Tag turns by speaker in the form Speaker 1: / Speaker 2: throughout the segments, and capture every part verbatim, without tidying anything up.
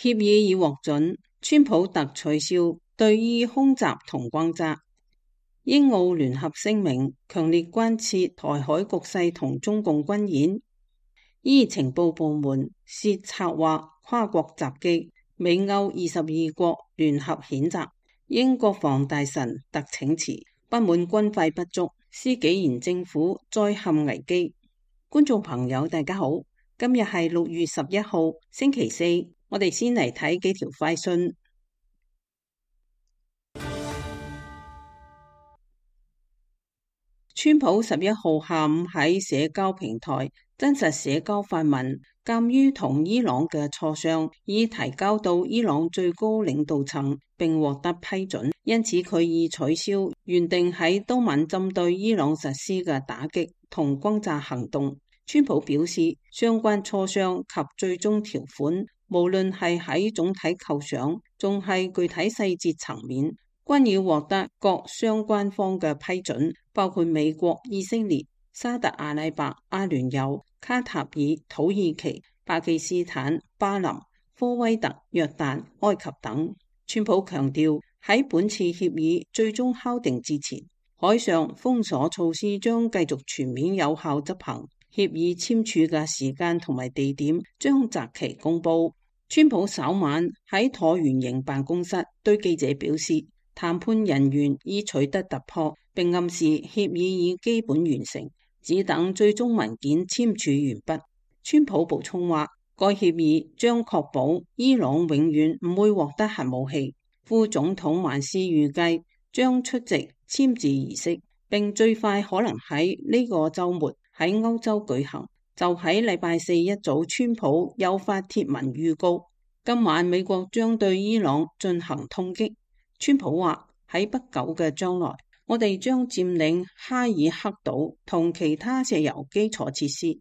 Speaker 1: 協議已獲准，川普特取消對伊空襲同轟炸。英澳聯合聲明強烈關切台海局勢同中共軍演。伊情報部門涉策劃跨國襲擊，美歐二十二國聯合譴責。英國防大臣特請辭，不滿軍費不足，施紀賢政府再陷危機。觀眾朋友大家好，今日係六月十一號星期四，我哋先嚟睇幾條快訊。川普十一號下午喺社交平台真實社交發文，鑒於同伊朗嘅磋商已提交到伊朗最高領導層並獲得批准，因此佢已取消原定喺當晚針對伊朗實施嘅打擊同轟炸行動。川普表示，相關磋商及最終條款，無論係喺總體構想，仲係具體細節層面，均已獲得各相關方嘅批准，包括美國、以色列、沙特阿拉伯、阿聯酋、卡塔爾、土耳其、巴基斯坦、巴林、科威特、約旦、埃及等。川普強調，喺本次協議最終敲定之前，海上封鎖措施將繼續全面有效執行。協議簽署嘅時間同埋地點將擇期公佈。川普稍晚喺橢圓形辦公室對記者表示，談判人員已取得突破，並暗示協議已基本完成，只等最終文件簽署完畢。川普補充話，該協議將確保伊朗永遠唔會獲得核武器。副總統萬斯預計將出席簽字儀式，並最快可能喺呢個週末喺歐洲舉行。就喺禮拜四一早，川普又發帖文預告，今晚美國將對伊朗進行痛擊。川普話，喺不久嘅將來，我哋將佔領哈爾克島同其他石油基礎設施，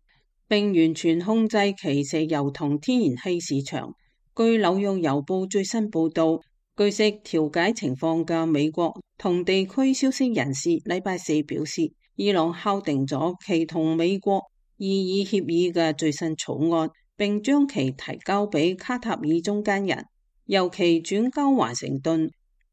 Speaker 1: 並完全控制其石油同天然氣市場。據紐約郵報最新報導，據悉調解情況嘅美國同地區消息人士禮拜四表示，伊朗敲定咗其同美國異議協議嘅最新草案，並將其提交俾卡塔爾中間人，由其轉交華盛頓。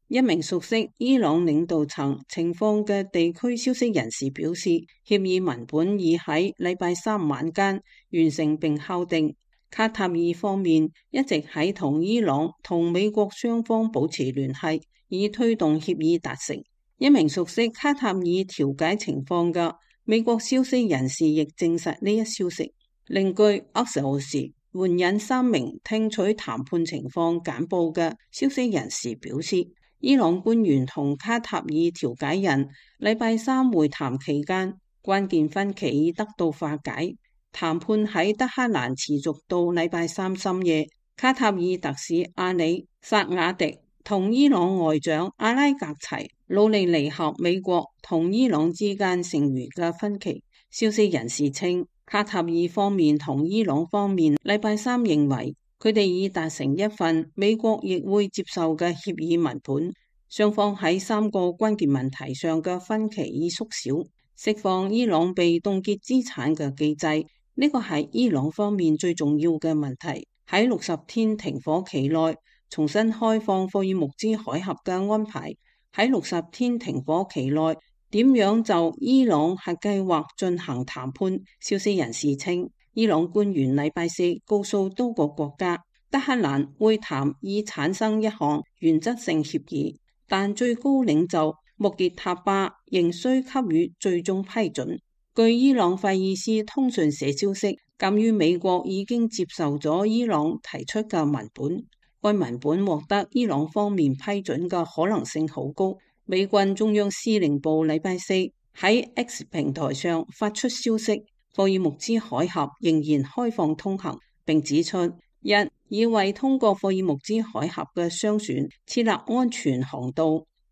Speaker 1: 一名熟悉伊朗領導層情況嘅地區消息人士表示，協議文本已喺禮拜三晚間完成並敲定。卡塔爾方面一直喺同伊朗同美國雙方保持聯繫，以推動協議達成。一名熟悉卡塔爾調解情況嘅美國消息人士亦證實呢一消息。另據厄索士援引三名聽取談判情況簡報嘅消息人士表示，伊朗官員同卡塔爾調解人禮拜三會談期間，關鍵分歧已得到化解。談判喺德黑蘭持續到禮拜三深夜。卡塔爾特使阿里薩瓦迪同伊朗外長阿拉格齊努力彌合美國同伊朗之間剩餘嘅分歧。消息人士稱，卡塔爾方面同伊朗方面禮拜三認為，佢哋已達成一份美國亦會接受嘅協議文本，雙方喺三個關鍵問題上嘅分歧已縮小。釋放伊朗被凍結資產嘅機制，呢個係伊朗方面最重要嘅問題。喺六十天停火期內重新開放霍爾木茲海峽嘅安排，喺六十天停火期內點樣就伊朗核計劃進行談判。消息人士稱，伊朗官員禮拜四告訴多個國家，德黑蘭會談以產生一項原則性協議，但最高領袖穆傑塔巴仍需給予最終批准。據伊朗費爾斯通訊社消息，鑒於美國已經接受咗伊朗提出嘅文本，該文本獲得伊朗方面批准嘅可能性好高。美軍中央司令部禮拜四喺 X 平台上發出消息，霍爾木茲海峽仍然開放通行，並指出，一已為通過霍爾木茲海峽嘅商船設立安全航道；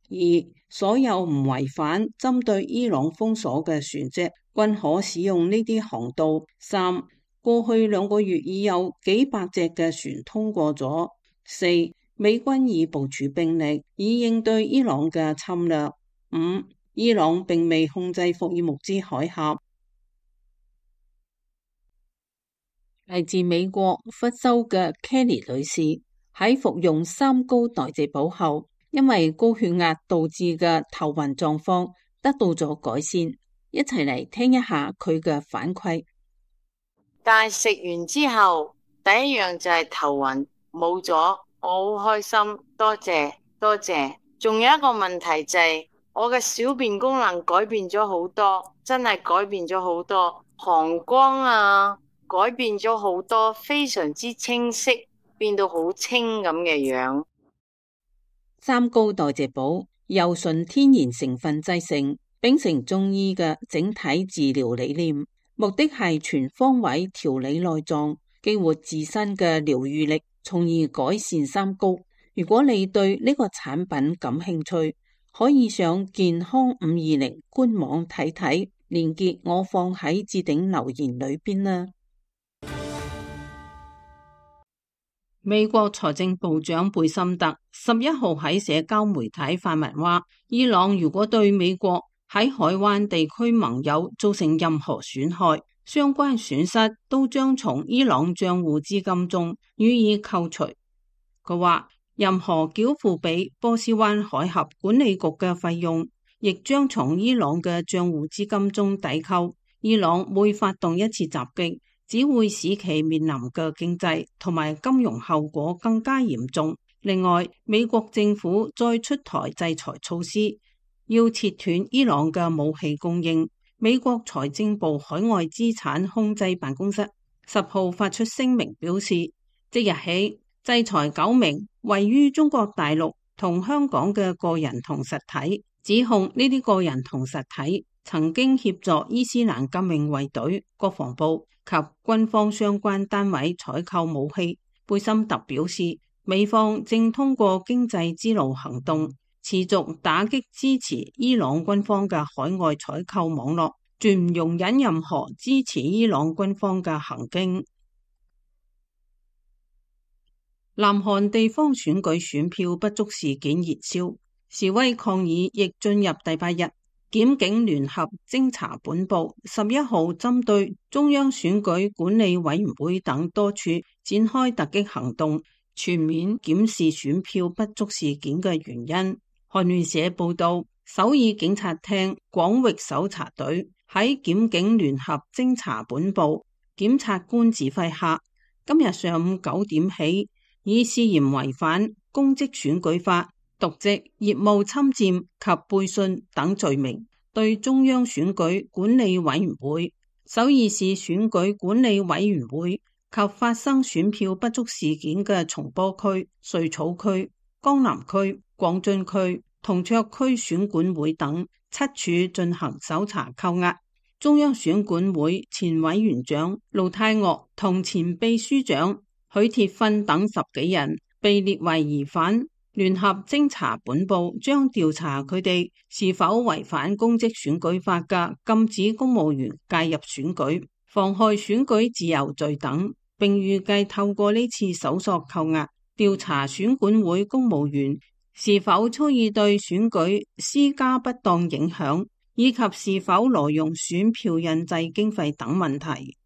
Speaker 1: 二所有唔違反針對伊朗封鎖嘅船隻均可使用呢啲航道；三過去兩個月已有幾百隻嘅船通過咗；四美軍已部署兵力以應對伊朗嘅侵略；五伊朗並未控制霍爾木茲海峽。嚟自美國佛州嘅 Kelly 女士喺服用三高代謝寶後，因為高血壓導致嘅頭暈狀況得到咗改善。一齊嚟聽一下佢嘅反饋。
Speaker 2: 但係食完之後，第一樣就係頭暈冇咗，我好開心，多謝多謝。仲有一個問題就係我嘅小便功能改變咗好多，真係改變咗好多，膀胱啊改變咗好多，非常之清晰，變到好清咁嘅樣。
Speaker 1: 三高代謝寶由純天然成分製成，秉承中醫嘅整體治療理念，目的係全方位調理內臟，激活自身嘅療愈力，從而改善三高。如果你對呢個產品感興趣，可以上健康五二零官網睇睇，連結我放喺置頂留言裏邊啦。美國財政部長貝森特十一號喺社交媒體發文話，伊朗如果對美國喺海灣地區盟友造成任何損害，相關損失都將從伊朗賬戶資金中予以扣除。佢話，任何繳付俾波斯灣海峽管理局嘅費用，亦將從伊朗嘅賬戶資金中抵扣。伊朗每發動一次襲擊，只會使其面臨嘅經濟同埋金融後果更加嚴重。另外，美國政府再出台制裁措施，要切斷伊朗嘅武器供應。美國財政部海外資產控制辦公室十號發出聲明表示，即日起制裁九名位於中國大陸同香港嘅個人同實體，指控呢啲個人同實體曾經協助伊斯蘭革命衛隊、國防部及軍方相關單位採購武器。貝森特表示，美方正通過經濟之路行動，持續打擊支持伊朗軍方嘅海外採購網絡，絕唔容忍任何支持伊朗軍方嘅行徑。南韓地方選舉選票不足事件熱燒，示威抗議亦進入第八日。檢警聯合偵查本部十一號針對中央選舉管理委員會等多處展開突擊行動，全面檢視選票不足事件嘅原因。韓聯社報道，首爾警察廳廣域搜查隊喺檢警聯合偵查本部檢察官指揮下，今日上午九點起，以涉嫌違反公職選舉法、瀆職、業務侵佔及背信等罪名，對中央選舉管理委員會、首爾市選舉管理委員會及發生選票不足事件嘅松坡區、瑞草區、江南區、廣津區、銅卓區選管會等七處進行搜查扣押。中央選管會前委員長盧泰岳同前秘書長許鐵芬等十幾人被列為疑犯。聯合偵查本部將調查佢哋是否違反公職選舉法嘅禁止公務員介入選舉、妨害選舉自由罪等，並預計透過呢次搜索扣押，調查選管會公務員是否蓄意對選舉施加不當影響，以及是否挪用選票印製經費等問題。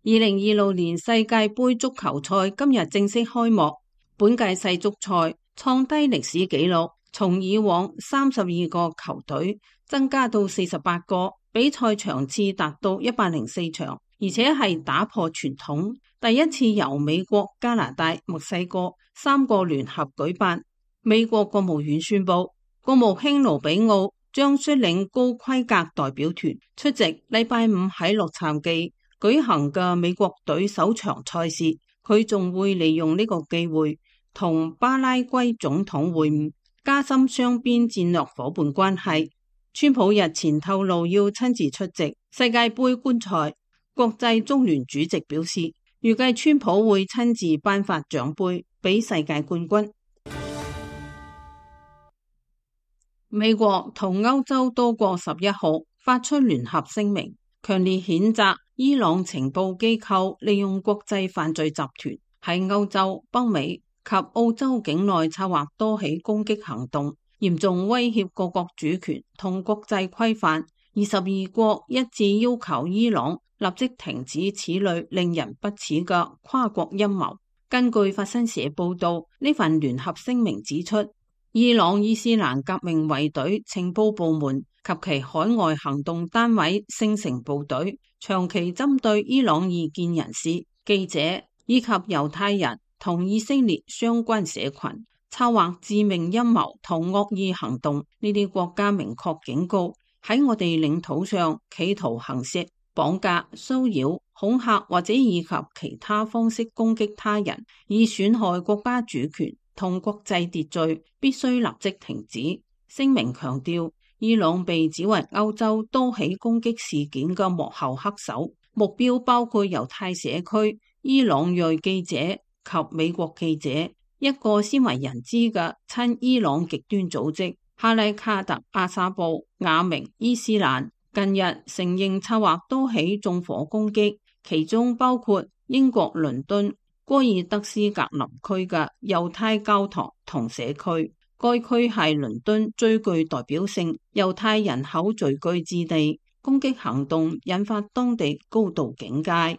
Speaker 1: 二零二六年世界盃足球賽今日正式開幕，本屆世足賽創低歷史紀錄，從以往三十二個球隊增加到四十八個，比賽場次達到一百零四場，而且係打破傳統，第一次由美國、加拿大、墨西哥三個聯合舉辦。美國國務院宣布，國務卿盧比奧將率領高規格代表團出席禮拜五喺洛杉磯舉行嘅美國隊首場賽事。佢仲會利用呢個機會同巴拉圭總統會晤，加深雙邊戰略夥伴關係。川普日前透露要親自出席世界盃觀賽，國際足聯主席表示，預計川普會親自頒發獎盃俾世界冠軍。美國同歐洲多國十一號發出聯合聲明，強烈譴責伊朗情報機構利用國際犯罪集團喺歐洲、北美及澳洲境內策劃多起攻擊行動，嚴重威脅各國主權同國際規範。二十二國一致要求伊朗立即停止此類令人不齒嘅跨國陰謀。根據法新社報道，呢份聯合聲明指出，伊朗伊斯蘭革命衛隊情報部門及其海外行動單位聖城部隊長期針對伊朗異見人士、記者以及猶太人同以色列相關社群，策劃致命陰謀同惡意行動。呢啲國家明確警告，喺我哋領土上企圖行刺、綁架、騷擾、恐嚇或者以及其他方式攻擊他人，以損害國家主權同國際秩序，必須立即停止。聲明強調，伊朗被指為歐洲都起攻擊事件嘅幕後黑手，目標包括猶太社區、伊朗裔記者及美國記者。一個鮮為人知嘅親伊朗極端組織哈拉卡特阿薩布雅明伊斯蘭近日承認策劃多起縱火攻擊，其中包括英國倫敦戈爾德斯格林區嘅猶太教堂同社區。該區係倫敦最具代表性猶太人口聚居之地。攻擊行動引發當地高度警戒。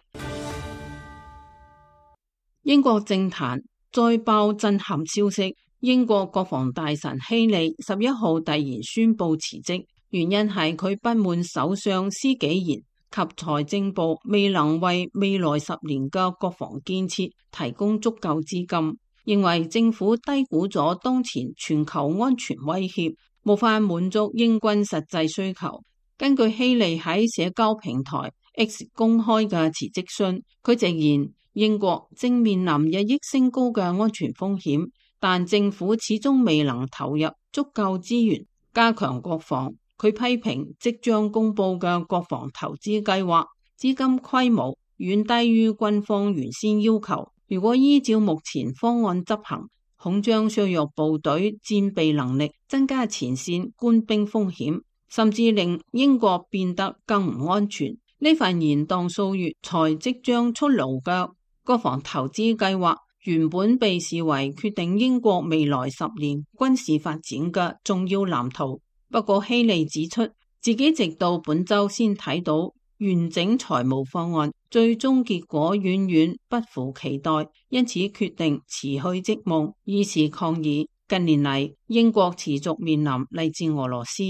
Speaker 1: 英國政壇再爆震撼消息，英國國防大臣希利十一號突然宣布辭職，原因係佢不滿首相施紀賢及財政部未能為未來十年嘅國防建設提供足夠資金，認為政府低估咗當前全球安全威脅，無法滿足英軍實際需求。根據希利喺社交平台 X 公開嘅辭職信，佢直言英國正面臨日益升高嘅安全風險，但政府始終未能投入足夠資源加強國防。佢批評即將公布嘅國防投資計劃資金規模遠低於軍方原先要求，如果依照目前方案執行，恐將削弱部隊戰備能力，增加前線官兵風險，甚至令英國變得更唔安全。呢份延宕數月才即將出爐嘅國防投資計劃原本被視為決定英國未來十年軍事發展嘅重要藍圖。不過希利指出，自己直到本周先睇到完整財務方案，最終結果遠遠不符期待，因此決定辭去職務，以示抗議。近年嚟，英國持續面臨嚟自俄羅斯、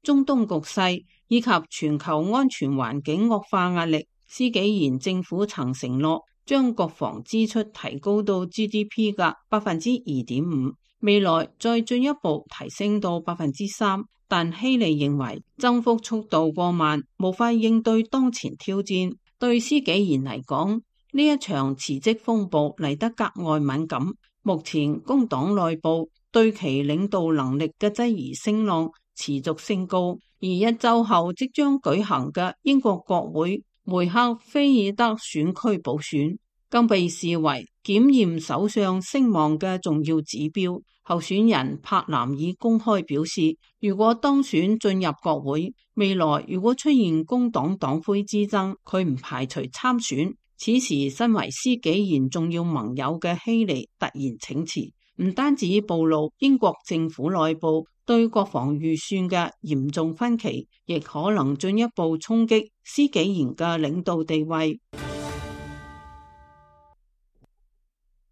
Speaker 1: 中東局勢以及全球安全環境惡化壓力。施紀賢政府曾承諾將國防支出提高到 G D P 嘅百分之二點五，未來再進一步提升到百分之三。但希利認為增幅速度過慢，無法應對當前挑戰。對施紀賢嚟講，呢一場辭職風暴嚟得格外敏感。目前工黨內部對其領導能力嘅質疑聲浪持續升高，而一周後即將舉行嘅英國國會梅克菲爾德選區補選，更被視為檢驗首相聲望嘅重要指標。候選人柏南已公開表示，如果當選進入國會，未來如果出現工黨黨魁之爭，佢唔排除參選。此時身為施紀賢重要盟友嘅希利突然請辭，唔單止暴露英國政府內部對國防預算嘅嚴重分歧，亦可能進一步衝擊施紀賢嘅領導地位。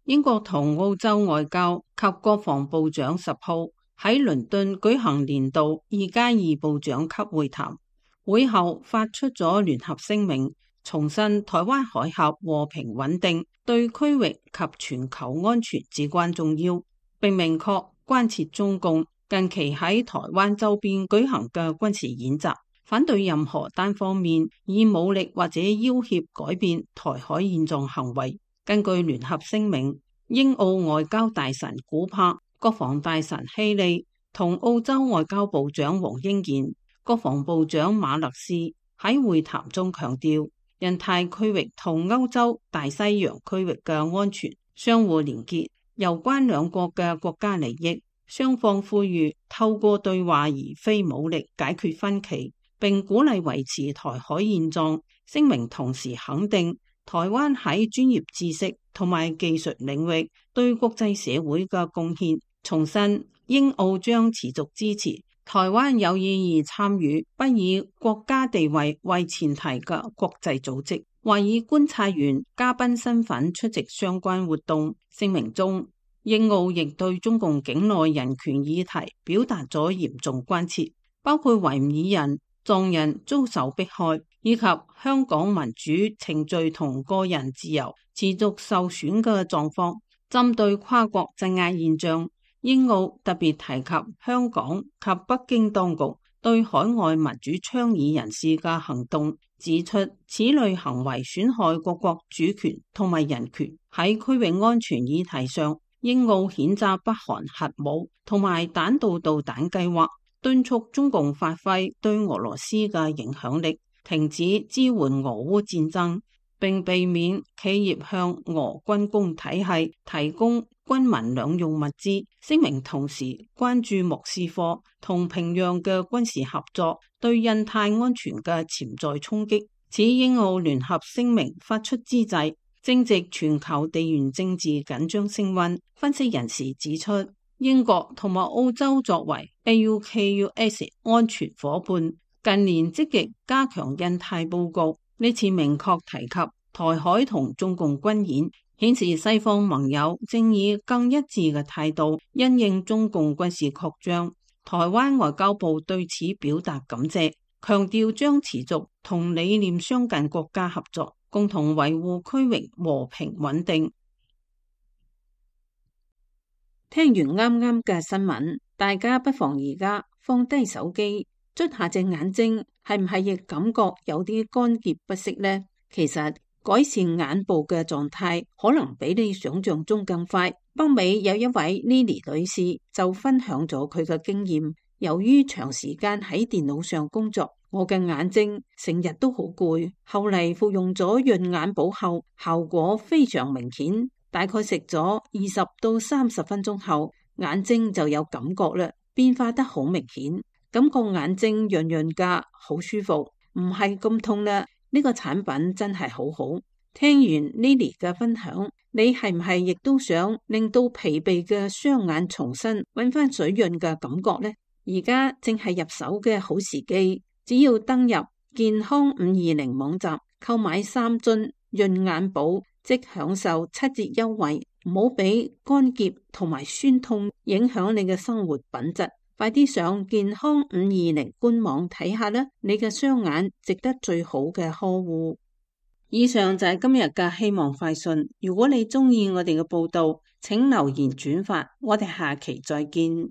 Speaker 1: 英國同澳洲外交及國防部長十號喺倫敦舉行年度二加二部長級會談，會後發出咗聯合聲明，重申台灣海峽和平穩定對區域及全球安全至關重要，並明確關切中共近期喺台灣周邊舉行嘅軍事演習，反對任何單方面以武力或者要挾改變台海現狀行為。根據聯合聲明，英澳外交大臣古柏、國防大臣希利同澳洲外交部長黃英賢、國防部長馬勒斯喺會談中強調，印太區域同歐洲大西洋區域嘅安全相互連結，攸關兩國嘅國家利益。雙方呼籲透過對話而非武力解決分歧，並鼓勵維持台海現狀。聲明同時肯定台灣喺專業知識同埋技術領域對國際社會嘅貢獻，重申英澳將持續支持台灣有意義參與不以國家地位為前提嘅國際組織，或以觀察員、嘉賓身份出席相關活動。聲明中，英澳亦對中共境內人權議題表達咗嚴重關切，包括維吾爾人、藏人遭受迫害，以及香港民主程序同個人自由持續受損嘅狀況。針對跨國鎮壓現象，英澳特別提及香港及北京當局對海外民主倡議人士嘅行動，指出此類行為損害各國主權同埋人權。喺區域安全議題上，英澳譴責北韓核武同埋彈道導彈計劃，敦促中共發揮對俄羅斯嘅影響力，停止支援俄烏戰爭，並避免企業向俄軍工體系提供軍民兩用物資。聲明同時關注莫斯科同平壤嘅軍事合作對印太安全嘅潛在衝擊。此英澳聯合聲明發出之際，正值全球地緣政治緊張升溫。分析人士指出，英國同埋澳洲作為 A U K U S 安全夥伴，近年積極加強印太佈局。呢次明確提及台海同中共軍演，顯示西方盟友正以更一致嘅態度因應中共軍事擴張。台灣外交部對此表達感謝，強調將持續同理念相近國家合作，共同維護區域和平穩定。聽完啱啱嘅新聞，大家不妨而家放低手機，捽下隻眼睛，係唔係亦感覺有啲乾澀不適呢？其實改善眼部嘅狀態可能比你想象中更快。北美有一位 Lily 女士就分享咗佢嘅經驗，由於長時間喺電腦上工作，我嘅眼睛成日都好攰，後嚟服用咗潤眼寶後，效果非常明顯。大概食咗二十到三十分鐘後，眼睛就有感覺啦，變化得好明顯，感覺眼睛潤潤噶，好舒服，唔係咁痛啦。呢個產品真係好好。聽完 Lily 嘅分享，你係唔係亦都想令到疲憊嘅雙眼重新揾翻水潤嘅感覺呢？而家正係入手嘅好時機，只要登入健康五二零網站購買三樽潤眼寶，即享受七折優惠，唔好俾乾澀同埋酸痛影響你嘅生活品質。快啲上健康五二零官網睇下啦，你嘅雙眼值得最好嘅呵護。以上就係今日嘅希望快訊。如果你中意我哋嘅報道，請留言轉發，我哋下期再見。